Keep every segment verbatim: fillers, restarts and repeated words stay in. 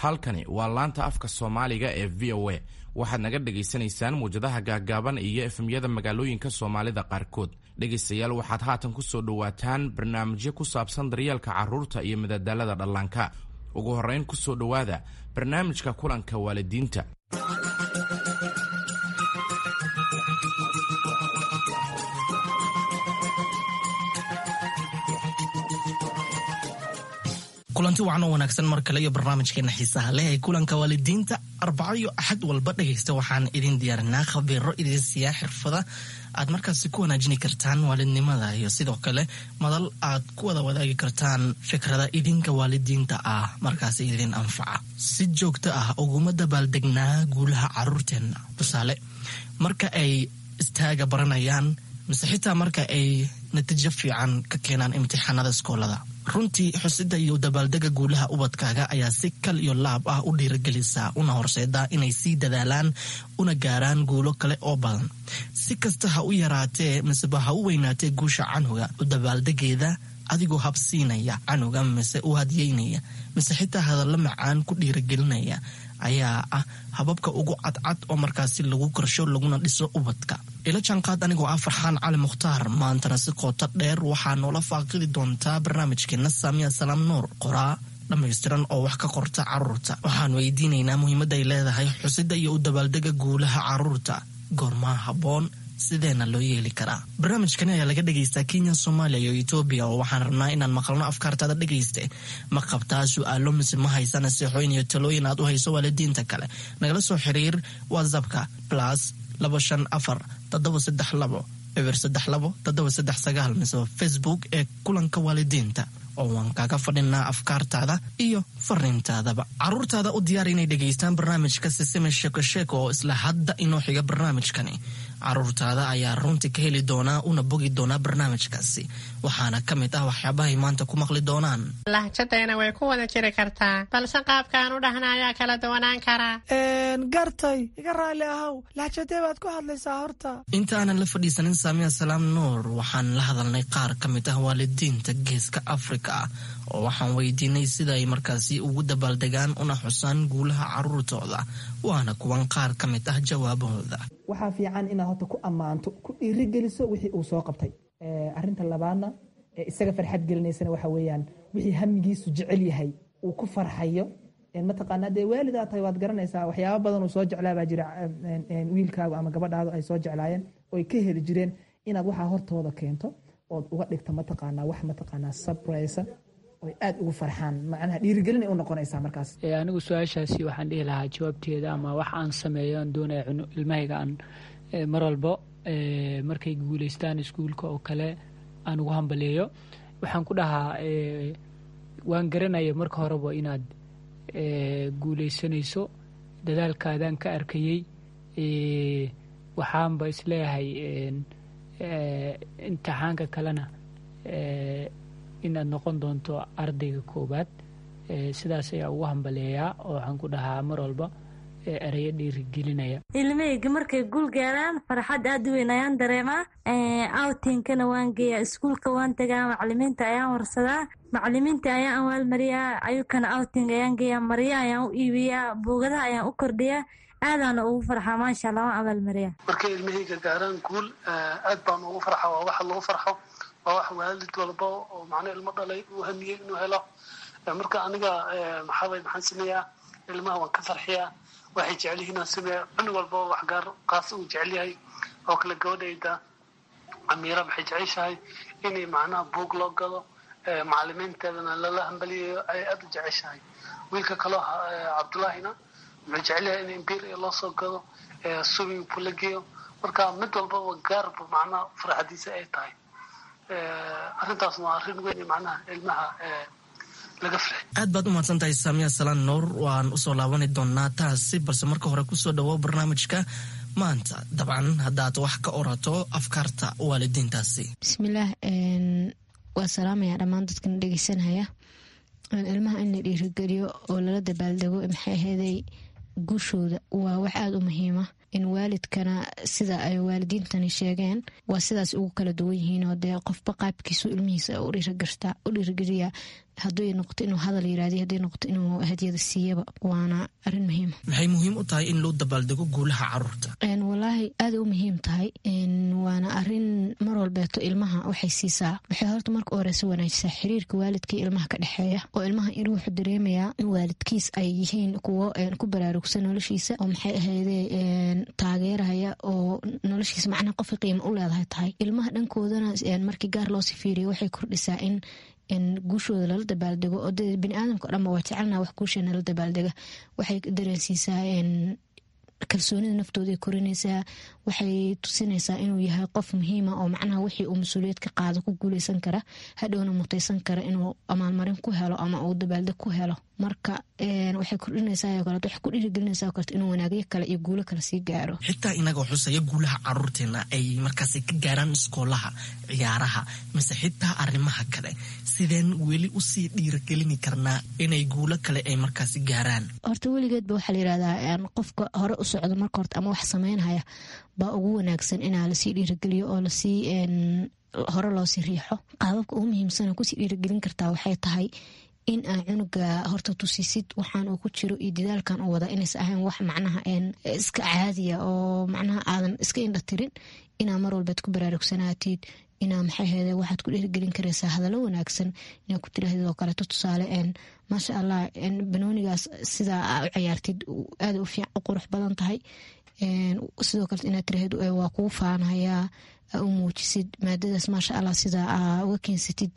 Halkani waa laanta afka Soomaaliga ee V O A. Waxaad naga dhagaysanaysaan muwjadaha gaaggaaban iyo F M-yada magaalooyinka Soomaalida qaarkood. Dhegaystayaal, waxaad haatan ku soo dhowaataan barnaamijyo ku saabsan daryeelka carruurta iyo madadaalada dhallaanka. Ugu horrayn, ku soo dhowaada barnaamijka kulanka waalidiinta. Kulanti wacan oo wanaagsan mar kale iyo barnaamijkeena xiisaha leh ee kulanka waalidiinta. Arbaco iyo Axad walba, dhegaysta, waxaan idin diyaarinaa khabiiro idin siiyaa xirfada aad markaasi ku wanaajini kartaan waalidnimada iyo sidoo kale madal aad ku wada wadaagi kartaan fikrada idinka waalidiinta ah markaasi idin anfaca. Si joogto ah uguma dabaaldegnaa guulaha caruurteenna? Tusaale, marka ay istaaga baranayaan mise xitaa marka ay natiijo fiican ka keenaan imtixaanada iskoolada. Runtii, xusida iyo dabaaldega guulaha ubadkaaga ayaa si kal iyo laab ah u dhiiragelisa una horseeda inay sii dadaalaan una gaaraan guulo kale oo badan. Si kasta ha u yaraatee miseba ha u weynaatee guusha canuga, u dabaaldegeeda adigoo habsiinaya canuga mise u hadyeynaya mise xitaa hadallo macaan ku dhiiragelinaya ayaa ah hababka ugu cadcad oo markaasi lagu korsho laguna dhiso ubadka. Ila jaanqaad anigoo ah Farxaan Cali Mukhtaar. Maantana si qoto dheer waxaa noola faaqidi doontaa barnaamijkeena Saamiya Salaam Nuur, qoraa dhammaystiran oo wax ka qorta caruurta. Waxaan weydiinaynaa muhiimadda ay leedahay xusida iyo u dabaaldega guulaha caruurta, goormaa habboon, sideena loo yeeli karaa? Barnaamijkani ayaa laga dhegaystaa Kenya, Soomaaliya iyo Etoobiya, oo waxaan rabnaa inaan maqalno afkaartaada. Dhegayste, ma qabtaa su-aalo mise ma haysa naseexooyin iyo talooyin aad u hayso waalidiinta kale? Nagala soo xiriir WhatsAppka plus labo shan afar toddoba saddex labo eber saddex labo toddoba saddex sagaal mise Facebook ee kulanka waalidiinta, oo waan kaaga fadhinaa afkaartaada iyo fariintaadaba. Caruurtaada u diyaar inay dhegaystaan barnaamijka Sisime Sheeko Sheeko oo isla hadda inoo xiga. Barnaamijkani caruurtaada ayaa runtii ka heli doonaa una bogi doonaa barnaamijkaasi, waxaana ka mid ah waxyaabahay maanta ku maqli doonaan. Lahjadayna way ku wada jiri kartaa, balse qaabkaan u dhahna ayaa kala duwanaan karaa. Gartay, iga raalli ahow, lahjadee baad ku hadlaysaa horta? Inta aanan la fadhiisanin Saamiya Salaam Nuur, waxaan la hadalnay qaar ka mid ah waalidiinta Geeska Afrika, oo waxaan weydiinay sida ay markaasi ugu dabaaldegaan una xusaan guulaha caruurtooda. Waana kuwan qaar ka mid ah jawaabahooda. Waxaa fiican inaad horta ku ammaanto, ku dhiirigeliso wixii uu soo qabtay. Arinta labaadna ee isaga farxad gelinaysana waxa weeyaan wixii hamigiisu jecel yahay, uu ku farxayo. Mataqaanaa, dee waalidaa tahay, waad garanaysaa waxyaaba badan uu soo jeclaa baa jira wiilkaagu ama gabadhaadu ay soo jeclaayeen oo ay ka heli jireen, inaad waxaa hortooda keento ood uga dhigto, mataqaanaa, wax, mataqaanaa, surprise oy aad ugu farxaan. Macnaha dhiirigelin ay u noqonaysaa markaas. Anigu su-aashaasi waxaan dhihi lahaa jawaabteeda ama wax aan sameeyo aan doonaya ilmahayga aan mar walbo markay guuleystaan iskuulka oo kale aan ugu hambaleeyo, waxaan ku dhahaa: waan garanaya marka horeba inaad guuleysanayso, dadaalkaadaan ka arkayey. Waxaanba isleeyahay imtixaanka kalena inaad noqon doonto ardayga koowaad. Sidaas ayaa ugu hambaleeyaa oo waxaan ku dhahaa mar walba ereyo dhiirigelinaya. Ilmahayga markay guul gaaraan, farxad aad u weyn ayaan dareemaa. Outingkana waan geeyaa, iskuulka waan tagaa, macalimiinta ayaan warsadaa, macalimiinta ayaan awaalmariyaa, ayukana outing ayaan geeyaa, marya ayaan u iibiyaa, buugadaha ayaan u kordhiyaa, aadaana ugu farxaa. Maasha Allah, waan abaalmariyaa. Markay ilmahayga gaaraan guul, aad baan ugu farxa. Waa waxa lagu farxo, waa wax waalid walba oo macna ilmo dhalay uu hamiyey inuu helo. Marka aniga maxaabay maxaan sameeyaa? Ilmaha waan ka farxiyaa, waxay jecel yihiin aan sameeyaa. Cunug walba wax gaar qaas uu jecel yahay oo kale. Gabadhayda Amiira waxay jeceshahay inay macnaha buug loo gado, macalimiinteedana lala hambaliyayo ay aada u jeceshahay. Wiilka kaloo Cabdullaahina wuxuu jecel yahay in imbiir loo soo gado, swimming pool la geeyo. Marka mid walbaba gaarba macnaha farxadiisa ay tahay. Arrintaasna waa arrin weyn macnaha ilmaha laga farxi. Aad baad u mahadsan tahay, Saamiya Salaan Nuur. Waan usoo laabani doonaa taasi, balse marka hore kusoo dhawo barnaamijka maanta, dabcan haddaad wax ka orato afkaarta waalidiintaasi. Bismillaah, waa salaamaya dhammaan dadkana dhegeysanaya. Ilmaha in la dhiirigeliyo oo lala dabaaldego, maxay aheeday, guushooda waa wax aada u muhiima. In waalidkana sida ay waalidiintani sheegeen waa sidaas ugu kala duwan yihiin, oo dee qofba qaabkiisu ilmihiisa u dhiirigeliya. Haday noqoto inuu hadal yiraahdo, haday noqoto inuu hadiyada siiyaba, waana arrin muhiima. Maxay muhiim u tahay in loo dabaaldego guulaha caruurta? Walaahi aada u muhiim tahay, waana arrin mar walbeeto ilmaha waxay siisaa, waxay horta marka horeysa wanaajisaa xiriirka waalidkii ilmaha ka dhexeeya, oo ilmaha in wuxuu dareemayaa in waalidkiis ay yihiin kuwo ku baraarugsan noloshiisa, oo maxay ahayde taageeraya, oo noloshiisa macnaha qofka qiimo u leedahay tahay. Ilmaha dhankoodana markii gaar loosii fiiriyo waxay kordhisaa in guushooda lala dabaaldego, oo de biniaadamka o dhanba waa jecelnaa wax guusheena la dabaaldega. Waxay dareensiisaa kalsoonida naftooday korinaysaa, waxay tusinaysaa inuu yahay qof muhiima oo macnaha wixii uu mas-uuliyad ka qaado ku guuleysan kara, hadhowna mutaysan kara inuu amaalmarin ku helo ama uu dabaaldeg ku helo. Marka waxay kordhinaysaa kaleeto, waxay ku dhiirigelinaysaa kaleeto inuu wanaagyo kale iyo guulo kale sii gaaro. Xitaa inagoo xusaya guulaha caruurteena ay markaasi ka gaaraan iskoolaha, ciyaaraha mise xitaa arrimaha kale, sideen weli usii dhiirigelini karnaa inay guulo kale ay markaasi gaaraan? Horta weligeedba waxaa la yirahdaa qofka hore u socda marka horta ama wax sameynhaya baa ugu wanaagsan inaa lasii dhiirigeliyo oo lasii hore loosii riixo. Qaababka ugu muhiimsana kusii dhiirigelin kartaa waxay tahay in aa cunuga horta tusisid waxaan uu ku jiro iyo dadaalkan uu wada inaysa ahayn wax macnaha iska caadiya oo macnaha aadan iska indha tirin, inaa mar walbaad ku baraarugsanaatid, inaa maxay ahayde waxaad ku dhiirigelin karaysaa hadallo wanaagsan inaa ku tirahdid oo kaleeto. Tusaale, maasha allah, banoonigaas sidaa aa u ciyaartid aada u fiic u qurux badan tahay. Sidoo kaleet inaad tirahdid waa kugu faanhayaa, aa u muujisid maadadaas maasha allah sidaa aa uga keensatid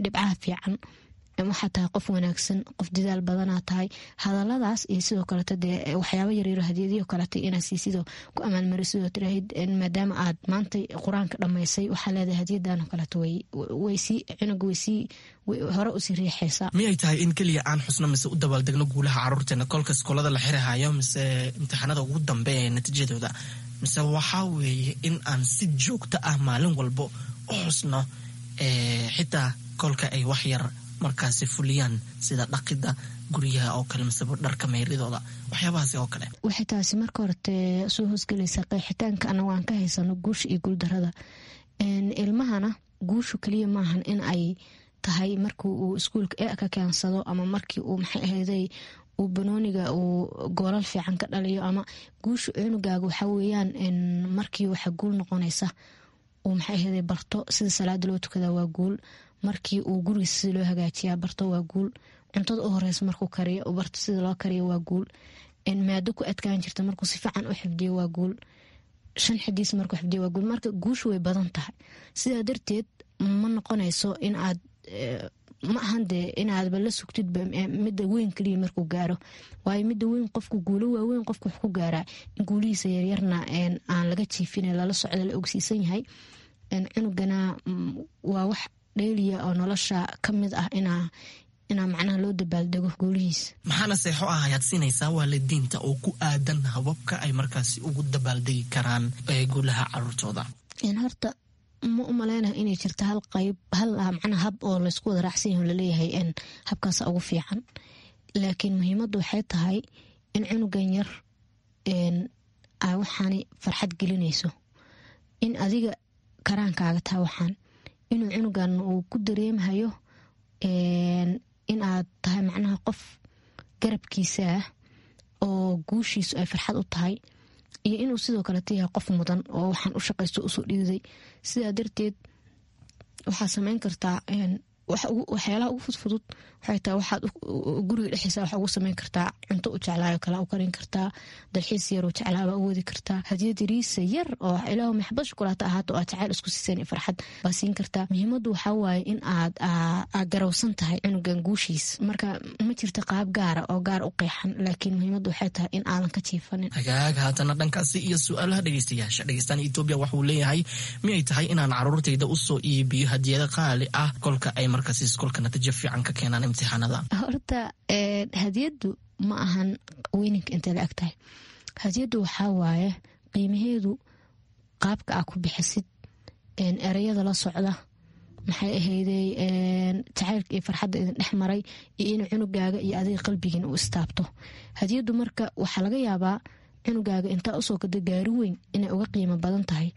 dhibcaha fiican, waxaa tahay qof wanaagsan, qof dadaal badanaa tahay. Hadaladaas iyo sidoo kaleeto dee waxyaaba yaryaro hadiyadiyo kaleeto inaa siisidoo ku amaalmarisidoo tiraahid maadaama aad maanta qur-aanka dhammaysay waxaa leedahay hadiyadan oo kaleeto, waysii cunuga waysii hore usii riixaysaa. Miyay tahay in keliya aan xusno mise u dabaaldegno guulaha caruurteena kolka iskoolada la xirahayo mise imtixaanada ugu dambeeya ee natiijadooda, mise waxaa weeye in aan si joogto ah maalin walbo u xusno xitaa kolka ay wax yar markaasi fuliyaan, sida dhaqida guryaha oo kale miseba dharka meyridooda, waxyaabahaasi oo kale? Waxay taasi marka horete soo hoosgelaysaa qeexitaanka anagu aan ka haysano guusha iyo guuldarada ilmahana. Guushu keliya maahan in ay tahay markii uu iskuulka e ka keensado ama markii uu maxay ahayday uu banooniga uu goolal fiican ka dhaliyo. Ama guusha cunugaaga waxaa weeyaan markii waxa guul noqonaysa uu maxay ahayday barto sida salaada loo tukadaa waa guul, markii uu gurigiisa sida loo hagaajiyaa barto waa guul, cuntada u horeysa markuu kariyo barto sida loo kariyo waa guul, maado ku adkaan jirta markuu si fiican u xifdiyo waa guul, shan xadiis markuu xifdiyo waa guul. Marka guushu way badan tahay, sidaa darteed ma noqonayso in aad ma ahan dee inaadba la sugtidba midda weyn kaliya markuu gaaro, waayo midda weyn qofku guulo waaweyn qofku wax ku gaaraa in guulihiisa yaryarna aan laga jiifin, lala socda, la ogsiisan yahay. Cunugana waa wax dheeliya oo nolosha ka mid ah inaa inaa macnaha loo dabaaldego guulihiisa. Maxaana seexo ah ayaad siinaysaa waalidiinta oo ku aadan hababka ay markaasi ugu dabaaldegi karaan guulaha caruurtooda? Horta ma u maleynaha inay jirto hal qayb hal macnaha hab oo laysku wada raacsan yaho laleeyahay habkaasa ugu fiican, laakiin muhiimaddu waxay tahay in cunugan yar aa waxaani farxad gelinayso, in adiga karaankaaga taha waxaan inuu cunugan uu ku dareemahayo in aad tahay macnaha qof garabkiisa ah oo guushiisu ay farxad u tahay, iyo inuu sidoo kaleeta yahay qof mudan oo waxaan u shaqaysto usoo dhiiday. Sidaa darteed waxaa sameyn kartaa waxyaalaha ugu fudfudud, waxay tahay waxaad guriga dhexdiisa waxaa ugu sameyn kartaa cunto u jeclaayo kale u karin kartaa, dalxiis yar u jeclaabaa u wadi kartaa, hadiyad yariisa yar oo ilaahu maxbad shukulaata ahaato oo aad jacayl isku siiseen iyo farxad baa siin kartaa. Muhiimaddu waxaa waaye in aad aad garowsan tahay cunugan guushiisa. Marka ma jirto qaab gaara oo gaar u qeexan, laakiin muhiimaddu waxay tahay in aadan ka jiifanin. Hagaag, haatana dhankaasi iyo su-aalaha dhegeystayaasha. Dhegeystaan Etoobiya waxuu leeyahay, miyay tahay inaan caruurtayda usoo iibiyo hadiyado qaali ah kolka ay markaasi iskoolka natiijo fiican ka keenaan imtixaanada? Horta hadiyaddu ma ahan weyninka intay la eg tahay. Hadiyaddu waxaa waaye qiimaheedu qaabka aa ku bixisid, ereyada la socda, maxay ahayday jacaylka iyo farxadda idin dhex maray, iyo inuu cunugaaga iyo adiga qalbigiina u istaabto hadiyaddu. Marka waxaa laga yaabaa cunugaaga intaa usoo gada gaari weyn inay uga qiimo badan tahay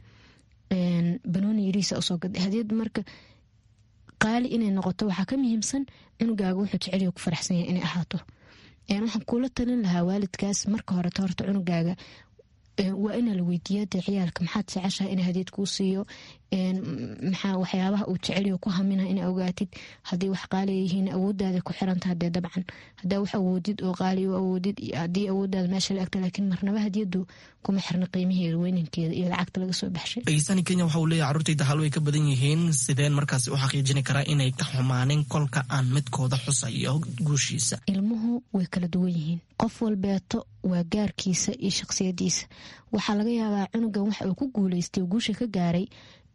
banooni yariisa usoo gada hadiyaddu. Marka Qaali inay noqoto waxaa ka muhiimsan cunugaaga wuxuu jecelyaho ku faraxsan yahay inay ahaato. Waxaan kula talin lahaa waalidkaas marka horeto horta cunugaaga waa inaa la weydiiya dee ciyaalka maxaad jeceshahay in hadiyad kuu siiyo, maxaa waxyaabaha uu jecelyaho ku hamina ina ogaatid. Haddii wax qaaliya yihiin awoodaada ku xirantaha dee dabcan hadaa wax awoodid oo qaali u awoodid iyo haddii awoodaada meesha la egta, laakiin marnaba hadiyadu kuma xirna qiimaheeda, weynankeeda iyo lacagta laga soo baxshay. Dhegeystani Kenya waxa uu leeyahay carruurtayda hal way ka badan yihiin, sideen markaasi u xaqiijini karaa inay ka xumaanin kolka aan midkooda xusayo guushiisa? Ilmuhu way kala duwan yihiin, qof walbeeto waa gaarkiisa iyo shaqsiyadiisa. Waxaa laga yaabaa cunugan waxa uu ku guuleystay guusha ka gaaray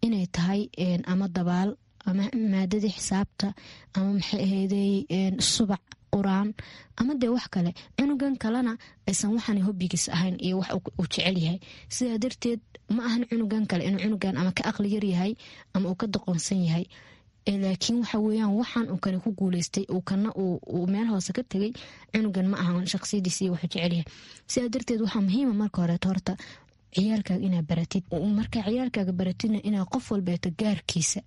inay tahay ama dabaal ama maadadii xisaabta ama maxay ahaydey subac quraan ama dee wax kale. Cunugan kalena aysan waxaan hobbigiis ahayn iyo wax uu jecel yahay. Sidaa darteed ma ahan cunugan kale inuu cunugan ama ka aqli yar yahay ama uu ka doqonsan yahay, laakiin waxa weeyaan waxaan uu kani ku guuleystay uu kana uu meel hoose ka tegay cunugan ma ahan shaqsiyadiisa iyo wuxuu jecel yahay. Sidaa darteed waxaa muhiima marka horeeto horta ciyaalkaaga inaa baratid. Markaa ciyaalkaaga baratidna inaa qof walbeeto gaarkiisa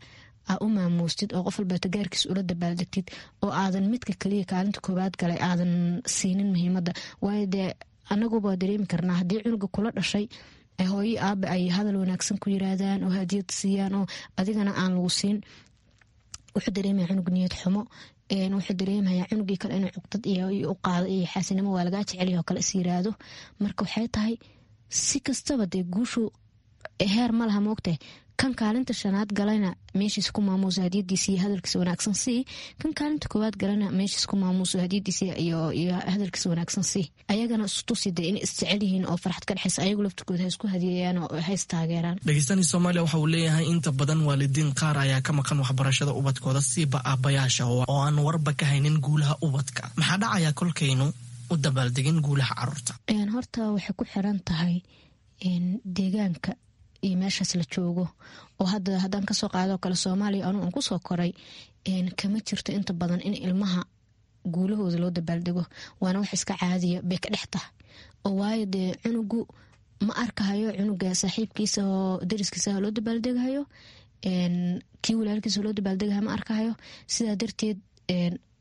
aa u maamuustid oo qof walbeeto gaarkiisa ula dabaaldegtid, oo aadan midka kaliya kaalinta koowaad galay aadan siinin muhiimadda. Waayo dee anaguba dareemi karnaa haddii cunuga kula dhashay hooyo aaba ay hadal wanaagsan ku yiraahdaan oo hadiyad siiyaan oo adigana aan lagu siin, wuxuu dareemaya cunug niyad xumo, wuxuu dareemaya cunugii kale inuu cuqdad iyo u qaado iyo xaasinimo waa lagaa jecelyaho kale is yiraahdo. Marka waxay tahay si kastaba dee guushu heer ma laha moogtahay. Kan kaalinta shanaad galayna meeshiis ku maamuuso hadiyadiisa iyo hadalkiisa wanaagsan sii, kan kaalinta koowaad galana meeshiis ku maamuuso hadiyadiisa iyo hadalkiisa wanaagsan sii. Ayagana istusi dee inay isjecel yihiin oo farxad ka dhexaysa, ayagu laftirkooda ha isku hadiyeeyaan oo ha istaageeraan. Dhegeystani Soomaaliya waxa uu leeyahay inta badan waalidiin qaar ayaa ka maqan waxbarashada ubadkooda, siiba aabbayaasha oo aan warba ka haynin guulaha ubadka. Maxaa dhacaya kolkaynu u dabaaldegin guulaha caruurta? Horta waxay ku xiran tahay deegaanka iyo meeshaas la joogo. Oo hadda haddaan kasoo qaadoo kale Soomaaliya anuu aan kusoo koray, kama jirto inta badan in ilmaha guulahooda loo dabaaldego, waana wax iska caadiya bay ka dhex tahay. Oo waayo dee cunugu ma arkahayo cunuga saaxiibkiisa oo dariskiisa loo dabaaldegahayo, kii walaalkiisa loo dabaaldegahayo ma arkahayo. Sidaa darteed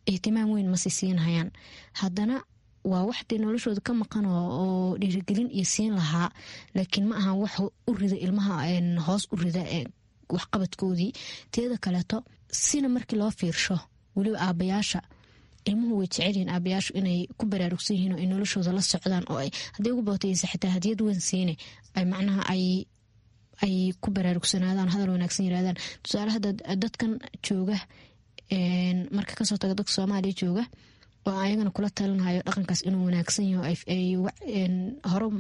ihtimaam weyn masi siinhayaan. Haddana waa wax dee noloshooda ka maqan oo dhiirigelin iyo siin lahaa, laakiin ma ahan wax u rida ilmaha hoos u rida waxqabadkoodii. Teeda kaleeto sina markii loo fiirsho weliba aabayaasha ilmuhu way jecelyihiin aabayaashu inay ku baraarugsan yihiin oo ay noloshooda la socdaan, oo ay hadday ugu bootaysa xitaa hadiyad weyn siine ay macnaha ay ay ku baraarugsanaadaan, hadal wanaagsan yirahdaan. Tusaale hadda dadkan jooga marka kasoo taga dadka Soomaaliya jooga oo ayagana kula talinhayo dhaqankaas inuu wanaagsan yaho, ay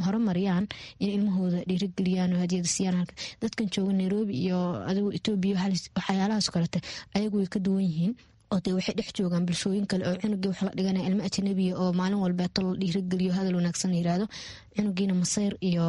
horumariyaan in ilmahooda dhiirigeliyaan oo hadiyada siiyaan. Dadkan jooga Nairobi iyo adigu Itoobiya waxyaalahaas kalete ayagu way ka duwan yihiin, oo dee waxay dhex joogaan bulshooyin kale oo cunugii wax la dhiganaya ilmo ajnabiya oo maalin walbeeto la dhiirigeliyo hadal wanaagsan la yiraahdo, cunugiina masayr iyo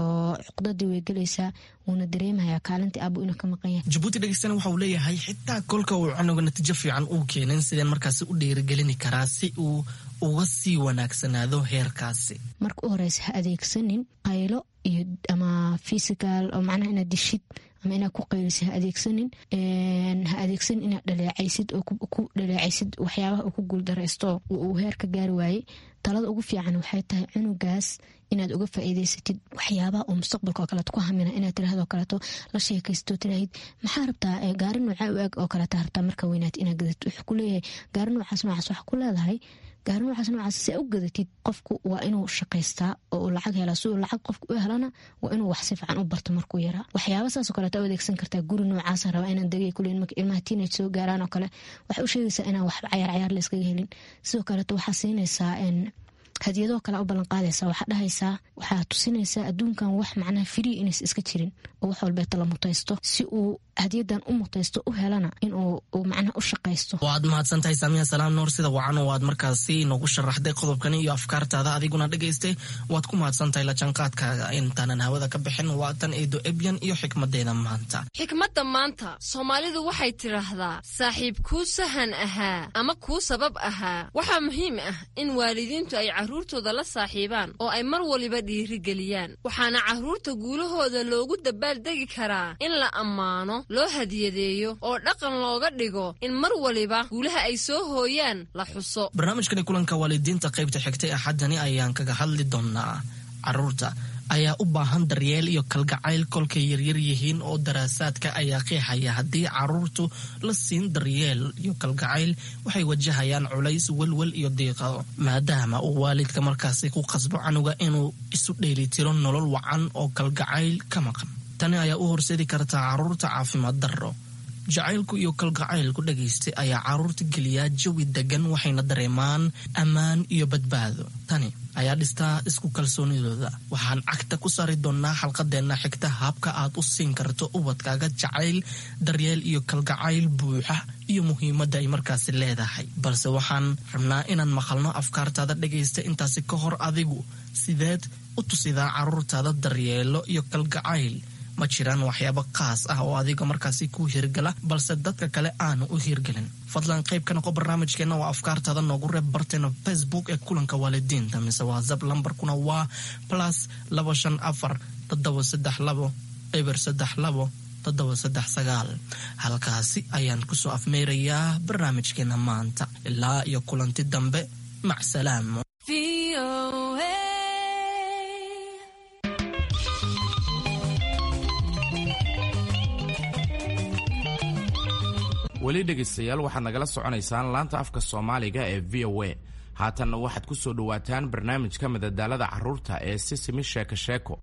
cuqdadii way gelaysaa, wuuna dareemayaa kaalintii aabuu inuu ka maqan yahay. Jabuuti dhegeystana waxa uu leeyahay xitaa kolka uu cunuga natiijo fiican uu keenin, sideen markaasi u dhiirigelini karaa si uu uga sii wanaagsanaado heerkaasi? Marka u horeysa ha adeegsanin qaylo iyo ama physical oo macnaha inaad dishid ama inaad ku qaylisid ha adeegsanin. Ha adeegsanin inaad dhaleecaysid oo ku dhaleecaysid waxyaabaha uu ku guuldaraysto uu heer ka gaari waayey. Talada ugu fiican waxay tahay cunugaas inaad uga faa'iidaysatid waxyaabaha uu mustaqbalka oo kaleeto ku hamina, inaad tiraahdo kaleeto la sheekaysto, tiraahid maxaa rabtaa gaari noocaa u eg oo kaleeto rabtaa marka weynaat inaad gadatid. Wuxuu ku leeyahay gaari noocaas noocaas, waxa ku leedahay gaari noocaas noocaas si aa u gadatid qofku waa inuu shaqaystaa oo uu lacag helaa. Si uu lacag qofku u helana waa inuu wax si fiican u barto markuu yaraa. Waxyaaba saasoo kaleeto u adeegsan kartaa. Guri noocaasa rabaa inaan degay kuleyn marka ilmaha teenage soo gaaraan oo kale waxay u sheegaysaa inaan waxba cayaar cayaar la iskaga helin. Sidoo kaleeto waxaa siinaysaa hadiyadoo kale u ballan qaadaysaa, waxaa dhahaysaa, waxaa tusinaysaa adduunkan wax macnaha free inays iska jirin oo wax walbeeta la mutaysto, si uu hadiyadan u mutaysto u helana inuu macnaha u shaqaysto. Waad mahadsantahay Saamiya Salaam Nuur, sida wacan oo aad markaasi noogu sharaxday qodobkani iyo afkaartaada. Adiguna dhegaystay waad ku mahadsantahay la jaanqaadkaaga. Intaanan hawada ka bixin waa tan Eedo Ebyan iyo xikmadeeda maanta. Xikmadda maanta Soomaalidu waxay tidhaahdaa saaxiib kuu sahan ahaa ama kuu sabab ahaa. Waxaa muhiim ah in waalidiintu ay carruurtooda la saaxiibaan oo ay mar waliba dhiirigeliyaan. Waxaana carruurta guulahooda loogu dabaaldegi karaa in la ammaano, loo hadiyadeeyo oo dhaqan looga dhigo in mar waliba guulaha ay soo hooyaan la xuso. Barnaamijkani kulanka waalidiinta qaybta xigtay axaddani ayaan kaga hadli doonaa carruurta ayaa u baahan daryeel iyo kalgacayl kolkay yaryar yihiin, oo daraasaadka ayaa qeexaya haddii carruurtu la siin daryeel iyo kalgacayl waxay wajahayaan culays, welwel iyo diiqado, maadaama uu waalidka markaasi ku qasbo canuga inuu isu dheelitiro nolol wacan oo kalgacayl ka maqan. Tani ayaa u horseedi kartaa carruurta caafimaad darro. Jacaylku iyo kalgacaylku dhagaystay ayaa carruurta geliyaa jawi degan, waxayna dareemaan ammaan iyo badbaado. Tani ayaa dhistaa isku kalsoonidooda. Waxaan cagta ku saari doonaa xalqadeenna xigta habka aad u siin karto ubadkaaga jacayl, daryeel iyo kalgacayl buuxa iyo muhiimadda ay markaasi leedahay. Balse waxaan rabnaa inaan maqalno afkaartaada dhagaysta. Intaasi ka hor, adigu sideed u tusidaa carruurtaada daryeelo iyo kalgacayl? Ma jiraan waxyaabo qaas ah oo adiga markaasi ku hirgala balse dadka kale aanu u hirgelin? Fadlan qayb ka noqo barnaamijkeenna oo afkaartaada noogu reeb barteena Facebook ee kulanka waalidiinta mise WhatsApp, lambarkuna waa plus labo shan afar toddoba saddex labo eber saddex labo toddoba saddex sagaal. Halkaasi ayaan kusoo afmeerayaa barnaamijkeena maanta. Ilaa iyo kulanti dambe, macsalaamo. Weli dhegaystayaal, waxaad nagala soconaysaan laanta afka Soomaaliga ee V O A. Haatanna waxaad ku soo dhowaataan barnaamijka madadaalada carruurta ee Sisimi Sheeko Sheeko.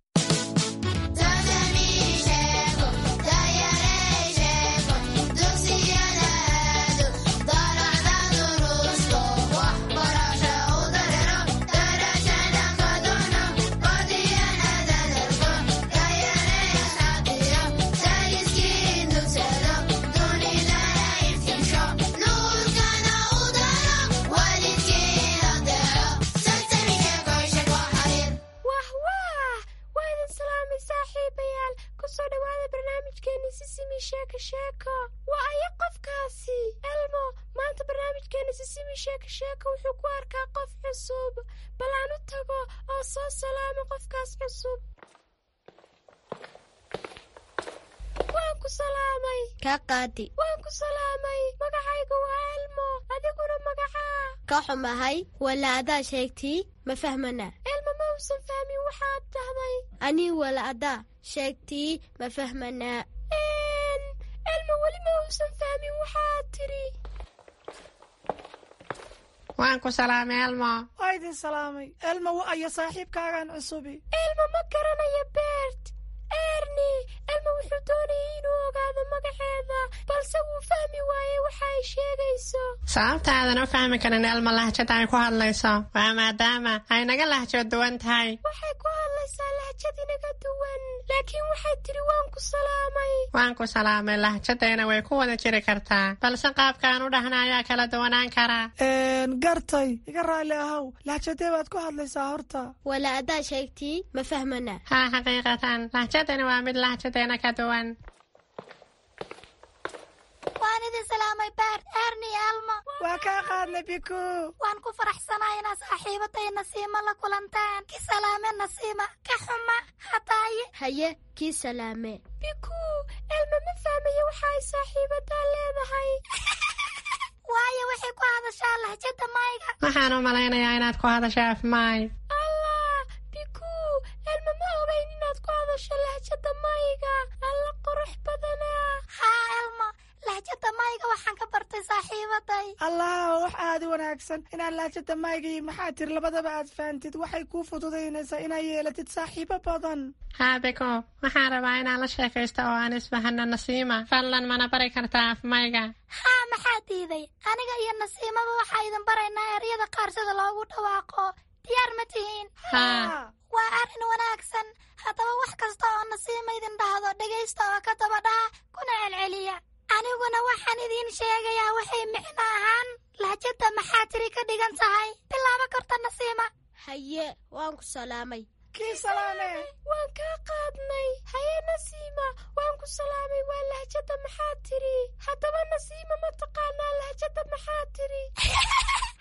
Wah wah, waa idin salaamay saaxiibayaal. Kusoo dhawaada barnaamijkeeni Sisimi Sheeko Sheeko. Waa aya qofkaasi? Elmo maanta barnaamijkeeni Sisimi Sheeko Sheeko wuxuu ku arkaa qof cusub. Bal aan u tago oo soo salaamo qofkaas cusub. Waan ku salaamay. Ka qaadi. Waan ku salaamay. Magacayga waa Elmo, adiguna magacaa? Ka xumahay, wala adaa sheegtii ma fahmana. Elmo ma uusan fahmin waxaad dhahday. Anii wala adaa sheegtii ma fahmanaa. Elmo weli ma uusan fahmin waxaad tidhi. Waan ku salaamay, Elmo. Waa idin salaamay. Elmo, wa ayo saaxiibkaagan cusubi? Elmo ma garanayo Bert. Erni, Elmo wuxuu doonayay inuu ogaado magaceeda, balse wuu fahmi waayey waxa ay sheegayso. Sababta aadan u fahmi karin Elmo lahjada ay ku hadlayso waa maadaama ay naga lahjo duwan tahay. Waxay ku hadlaysaa lahjad inaga duwan, laakiin waxay tidhi waan ku salaamay. Waan ku salaamay lahjadeena way ku wada jiri kartaa, balse qaabka aan u dhahna ayaa kala duwanaan karaa. Gartay, iga raalli ahow, lahjadee baad ku hadlaysaa horta? Wala adaa sheegtii ma fahmana. Haa, xaqiiqatan lahjadani waa mid lahjadeena ka duwan. Waan idin salaamay, Bert, Erni, Elmo. Waa kaa qaadnay, Biku. Waan ku faraxsanahay inaad saaxiibaday Nasiima la kulantaan. Ki salaame Nasiima, ka xuma hataaye. Haye, kii salaame. Biku, Elmo ma fahmayo waxa ay saaxiibadaa leedahay, waayo waxay ku hadashaa lahjada mayga. Waxaan u malaynayaa inaad ku hadasho af maay. Allah, Biku, Elmo ma ogayn inaad ku hadasho lahjada mayga. Alla qurux badanaa. Haa Elmo, lahjada mayga waxaan ka bartay saaxiibaday. Allah, wax aad u wanaagsan inaad lahjada mayga iyo maxaa tiri labadaba aad fahantid. Waxay kuu fududaynaysaa inaad yeelatid saaxiibo badan. Haa Biko, waxaan rabaa inaan la sheekaysto oo aan isbahano Nasiima. Fadlan mana bari kartaa af mayga? Haa, maxaa diiday? Aniga iyo Nasiimaba waxaa idin baraynaa eryada qaar sida loogu dhawaaqo. Diyaar ma tihiin? Haa. Waa arrin wanaagsan. Haddaba wax kasta oo Nasiima idin dhahdo dhegaysta oo ka daba dhaha kuna celceliya. Aniguna waxaan idiin sheegayaa waxay micno ahaan lahjada maxaa tiri ka dhigan tahay. Bilaabo karta Nasiima. Haye, waan ku salaamay. Kii salaame. Waan kaa qaadnay. Haye Nasiima, waan ku salaamay waa lahjada maxaa tiri. Haddaba Nasiima, ma taqaanaa lahjada maxaa tiri?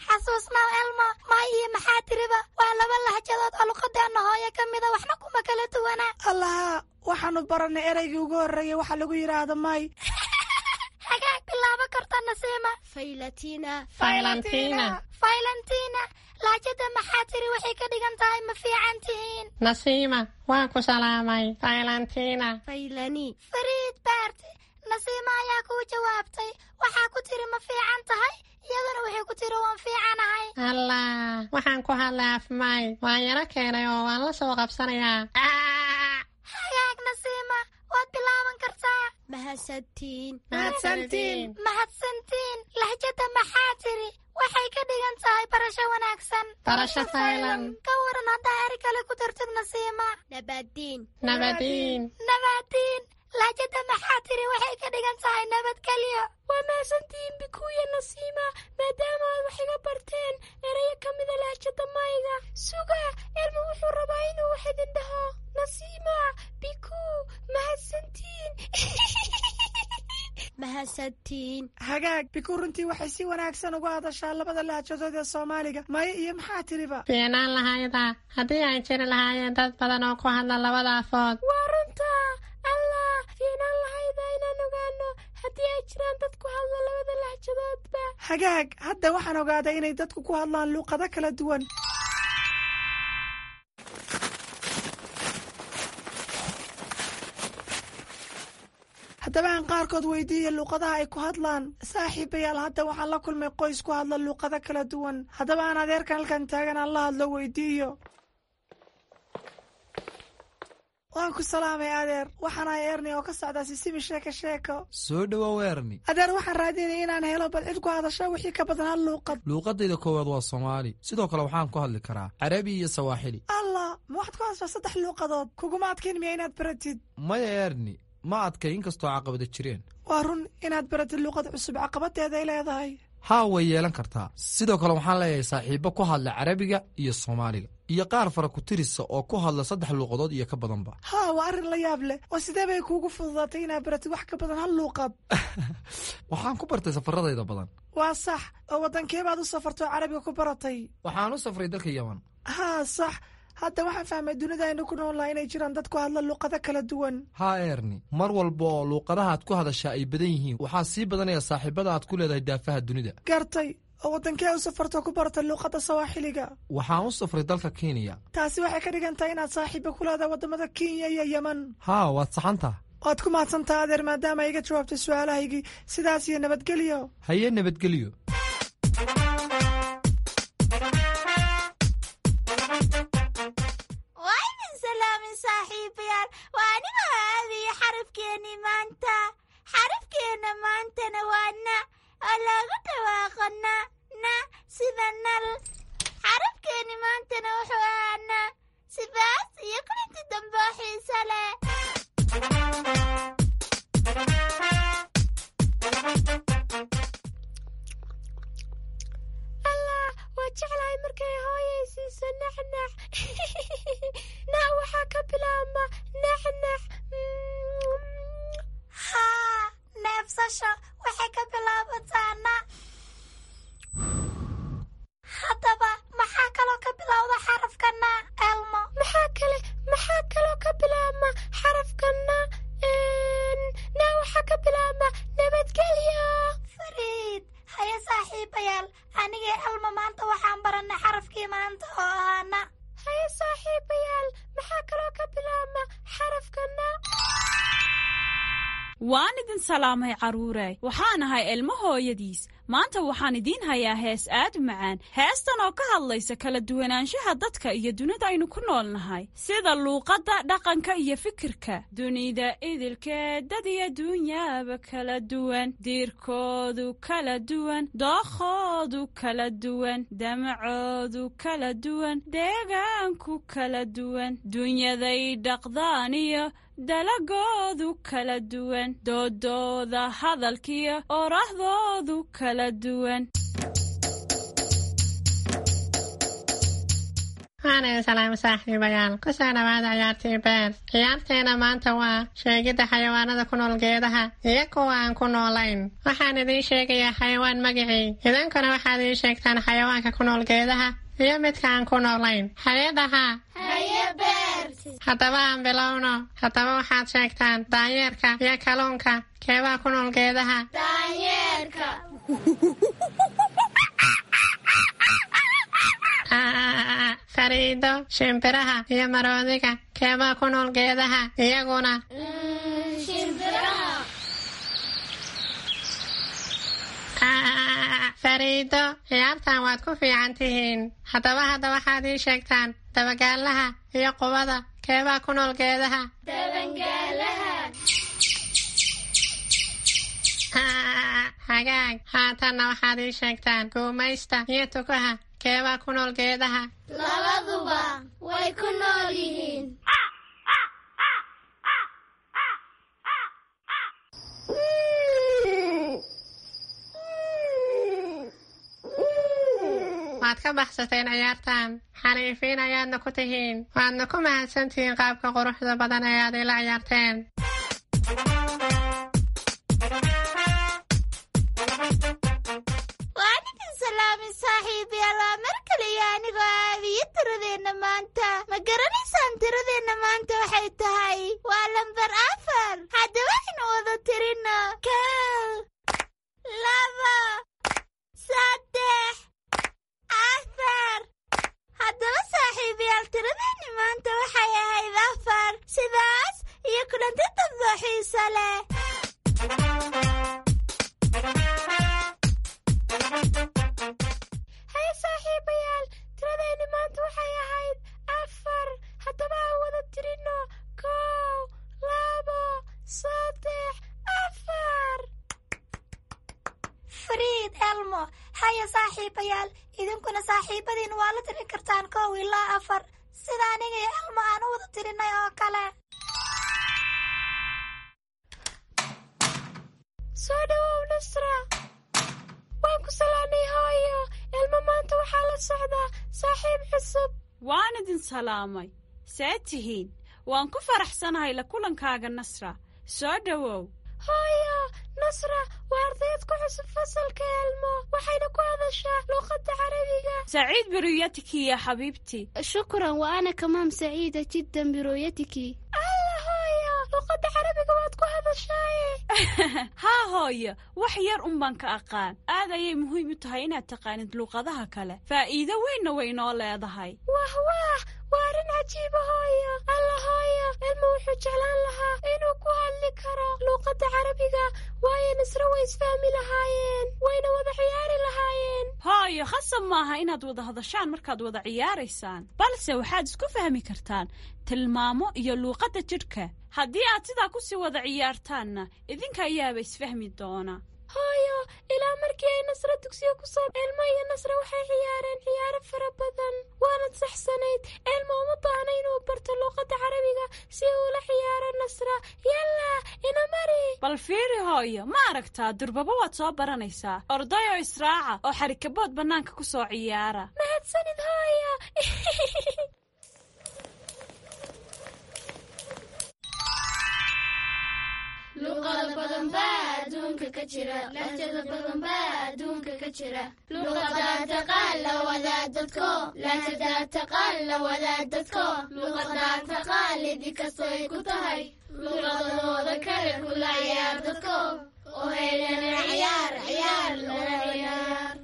Xasuusnaw Elmo, may iyo maxaa tiriba waa laba lahjadood oo luqadeenna hooyo ka mida, waxna kuma kala duwana. Allaha, waxaanu baranay ereygii ugu horreeyay waxa lagu yidhaahdo may. Hagaag, bilaabo karta Nasiima. Faylatina. Faylantina. Faylantina, lahjada maxaa tiri waxay ka dhigan tahay ma fiican tihiin. Nasiima, waan ku salaamay. Faylantina. Faylani. Fariid Baarti, Nasiima ayaa kuu jawaabtay. Waxaa ku tiri ma fiican tahay, iyaduna waxay ku tiri waan fiicanahay. Allah, waxaan ku hadlay afmay, waan yaro keenay oo waan la soo qabsanayaa. Hagaag Nasiima, waad bilaaban kartaa. Mahadsantiin. Mahadsantiin. Mahadsantiin, lahjada maxaa tiri waxay ka dhigan tahay barasho wanaagsan. Barasho faylan. Ka waran haddaa eri kale ku dartid Nasiima? Nabadiin. Nabadiin. Nabadiin, lahjada maxaa tiri waxay ka dhigan tahay nabadgelyo. Waa mahadsantihiin Bikuya, Nasiima, maadaama aad wax iga barteen erayo ka mida lahjada mayga. Suga, Elmo wuxuu rabaa inuu wax idin dhaho. Nasiima, Biku, mahadsantiin. Mahadsantiin. Hagaag Biku, runtii waxay si wanaagsan uga hadashaa labada lahjadood ee Soomaaliga, maya iyo maxaa tiriba. Fiicnaan lahayda haddii ay jiri lahaayeen dad badan oo ku hadla labada afood. Waa runta. Allah, fiicnaan lahayda inaan ogaano haddii ay jiraan dad ku hadla labada lahjadoodba. Hagaag, hadda waxaan ogaaday inay dadku ku hadlaan luuqado kala duwan. Haddaba aan qaarkood weydiiya luuqadaha ay ku hadlaan. Saaxiibayaal, hadda waxaan la kulmay qoys ku hadla luuqado kala duwan. Haddaba aan adeerkan halkan taagan aan la hadlo weydiiyo. Waan ku salaamay adeer, waxaan ahay Erni oo ka socdaa Sisimi Sheeko Sheeko. Soo dhowow Erni. Adeer, waxaan raadinaya inaan helo bal cid ku hadasha wixii ka badan hal luuqad. Luuqadayda koowaad waa Soomaali, sidoo kale waxaan ku hadli karaa Carabi iyo Sawaaxili. Allah, ma waxaad ku hadashaa saddex luuqadood? Kuguma adkayn miya inaad baratid? Maya Erni, ma adkay, inkastoo caqabada jireen. Waa run, inaad baratid luuqad cusub caqabadeeday leedahay. Haa, way yeelan kartaa. Sidoo kale waxaan leeyahay saaxiibbo ku hadla Carabiga iyo Soomaaliga iyo qaar fara ku tirisa oo ku hadla saddex luuqadood iyo ka badanba. Haa, waa arrin la yaab leh. Oo sidee bay kuugu fududaatay inaad baratid wax ka badan hal luuqad? Waxaan ku bartay safaradayda badan. Waa sax. Oo waddankee baad u safartoo Carabiga ku baratay? Waxaan u safray dalka Yeman. Haa, sax. Hadda waxaan fahmay dunida aynu ku nool laha inay jiraan dad ku hadla luuqado kala duwan. Haa Erni, mar walba oo luuqadahaad ku hadashaa ay badan yihiin, waxaa sii badanaya saaxiibada aad ku leedahay daafaha dunida. Gartay. Oo waddankee u safartoo ku baratay luuqadda Sawaaxiliga? Waxaan u safray dalka Kenya. Taasi waxay ka dhigan tahay inaad saaxiiba ku leedahay waddamada Kenya iyo Yeman. Haa, waad saxantaha. Waad ku mahadsantaha adeer, maadaama iga jawaabtay su-aalahaygii. Sidaas iyo nabadgelyo. Haye, nabadgelyo. Waa idin salaamin saaxiibayaal, waa anigoo aadaya xarafkeennii maanta. Xarafkeenna maantana waa na, oo loogu dhawaaqo na na sida nal. Xarafkeenni maantana wuxuu ahaa na. Sidaas iyo kulanti dambe oo xiiso leh. Allah, waa jeclahay markay hooyay siiso naxnax. Na waxaa ka bilaabma naxnax. Haa, neefsasho waxay ka bilaabataa na. Haddaba maxaa kaloo ka bilowda xarafka na, Elmo? Maxaa kale maxaa kaloo ka bilaabma xarafka na? Na waxaa ka bilaabma nabadgelyo. Fariid, haye saaxiibayaal, anigii Elmo maanta waxaan barannay xarafkii maanta oo ahaa na. Haye saaxiibayaal, maxaa kaloo ka bilaabma xarafka na? Waan idin salaamay carruure, waxaan ahay Ilmo hooyadiis. Maanta waxaan idiin hayaa hees aad u macaan, heestan oo ka hadlaysa kala duwanaanshaha dadka iyo dunida aynu ku nool nahay, sida luuqadda, dhaqanka iyo fikirka. Dunida idilkeed dad iyo dunyaaba kala duwan, diirkoodu kala duwan, dookhoodu kala duwan, damacoodu kala duwan, deegaanku kala duwan, dunyaday dhaqdaan iyo dalagoodu kala duwan, doodooda hadalkiyo orahdoodu kala duwan. Waana salaam saaxiibayaal, kusoo dhawaada ciyaartii beer. Ciyaarteena maanta waa sheegidda xayawaanada ku nool geedaha iyo kuwa aan ku noolayn. Waxaan idiin sheegayaa xayawaan magicii, idinkuna waxaad ii sheegtaan xayawaanka ku nool geedaha iyo midka aan ku noolayn. Hayedaha, haddaba aan bilowno. Haddaba waxaad sheegtaan daanyeerka iyo kalluunka, keebaa ku nool geedaha? Fariido, shimbiraha iyo maroodiga, keebaa ku nool geedaha iyaguna? Fariido, ciyaartan waad ku fiican tihiin. Haddaba hadda waxaad ii sheegtaan dabagaalaha iyo qubada, keebaa ku nool geedaha? Hagaag, haatanna waxaad ii sheegtaan guumaysta iyo tukaha, keebaa ku nool geedaha? Labaduba way ku nool yihiin. Waad ka baxsateen ciyaartan, xariifiin ayaadna ku tihiin. Waadna ku mahadsantihiin qaabka quruxda badan ee aad ila ciyaarteen. Waan idin salaamay saaxiibayaal, waa mar kale iyo anigoo aabiyo tiradeenna maanta. Ma garanaysaan tiradeenna maanta waxay tahay? Waa lambar afar. Haddaba aynu wada tirino: kow, laba, saddex, afar. Haddaba saaxiibayaal, tiradeenni maanta waxay ahayd afar. Sidaas iyo kulanti dambe oo xiiso leh. Haye saaxiibayaal, tiradeenni maanta waxay ahayd afar. Haddaba aan wada tirino: kow, labo, saddex, afar. Fariid, Elmo, haya saaxiibayaal, idinkuna saaxiibadiin waa la tirin kartaan kow ilaa afar, sida aniga iyo Elmo aan u wada tirinay oo kale. Soo dhawow Nasra. Waan ku salaanay hooyo. Elmo maanta waxaa la socdaa saaxiib cusub. Waan idin salaamay, see tihiin? Waan ku faraxsanahay la kulankaaga Nasra, soo dhowow. Hooyo, Nasra waa ardayd ku cusub fasalka Elmo, waxayna ku hadashaa luuqadda Carabiga. سعيد برؤيتك يا حبيبتي. شكرا، وأنا كمان سعيدة جدا برؤيتك. Alla hooyo, luuqadda Carabiga waad ku hadashaaye. Haa hooyo, wax yar un baan ka aqaan. Aad ayay muhiim u tahay inaad taqaanid luuqadaha kale, faa'iido weynna way inoo leedahay. Wah wah, waa arrin cajiiba hooyo. Alla hooyo, Elmo wuxuu jeclaan lahaa inuu ku hadli karo luuqadda Carabiga, waayo Nasra way isfahmi lahaayeen, wayna wada ciyaari lahaayeen. Hooyo, khasab maaha inaad wada hadashaan markaad wada ciyaaraysaan, balse waxaad isku fahmi kartaan tilmaamo iyo luuqadda jidhka. Haddii aad sidaa ku sii wada ciyaartaanna, idinka ayaaba isfahmi doona. Hooyo, ilaa markii ay Nasra dugsiga ku soo, Elmo iyo Nasra waxay ciyaareen ciyaaro fara badan. Waanad saxsanayd, Elmo uma baahna inuu barto luuqadda Carabiga si uu ula ciyaaro Nasra. Yalla, ina mari. Bal fiiri hooyo, ma aragtaa? Durbaba waad soo baranaysaa. Ordayoo israaca oo xarikabood bannaanka ku soo ciyaara. Mahadsanid hooyo. Luqado badan baa adduunka ka jira, lahjado badan baa adduunka ka jira. Luqadaa taqaan la wadaa dadko, lahjadaa taqaan la wadaa dadko. Luqadaa taqaan lidi kastoy ku tahay, luqadahooda kale kula ciyaar dadko, oo heelana ciyaar ciyaar lana ciyaar.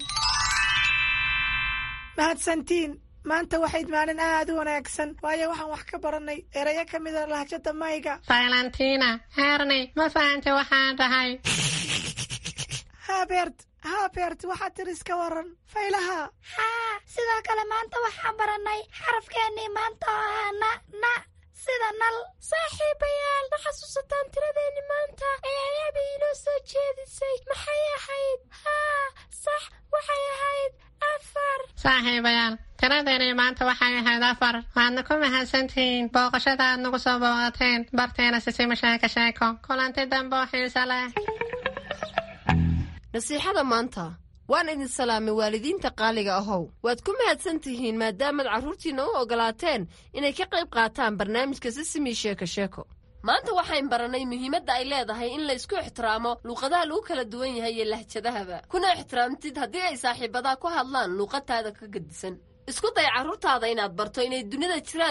Mahadsantiin. Maanta waxayd maalin aad u wanaagsan, waayo waxaan wax ka baranay erayo ka mida lahjada mayga. Valentina, Erni, ma fahantay waxaan dhahay? Haa Bert, haa Bert, waxaad tiri iska waran faylaha. Haa, sidoo kale maanta waxaan barannay xarafkeennii maanta oo ahaa na, na sida nal. Saaxiibayaal, ma xasuusataan tiradeenni maanta ee ayaaba inoo soo jeedisay? Maxay ahayd? Haa sax, waxay ahayd afar. Saaxiibayaal, tiradeeni maanta waxay ahayd afar. Waadna ku mahadsantihiin booqashada aad nagu soo booqateen barteena Sisima Sheeko Sheeko. Kulanti dambe oo xiise leh. Nasiixada maanta. Waan idin salaamay, waalidiinta qaaliga ahow. Waad ku mahadsan tihiin maadaamaad carruurtiinna u ogolaateen inay ka qayb qaataan barnaamijka Sisimi Sheeko Sheeko. Maanta waxayn baranay muhiimadda ay leedahay in la isku ixtiraamo luuqadaha lagu kala duwan yahay iyo lahjadahaba, kuna ixtiraamtid haddii ay saaxiibadaa ku hadlaan luuqadtaada ka gedisan. Isku day carruurtaada inaad barto inay dunida jiraan.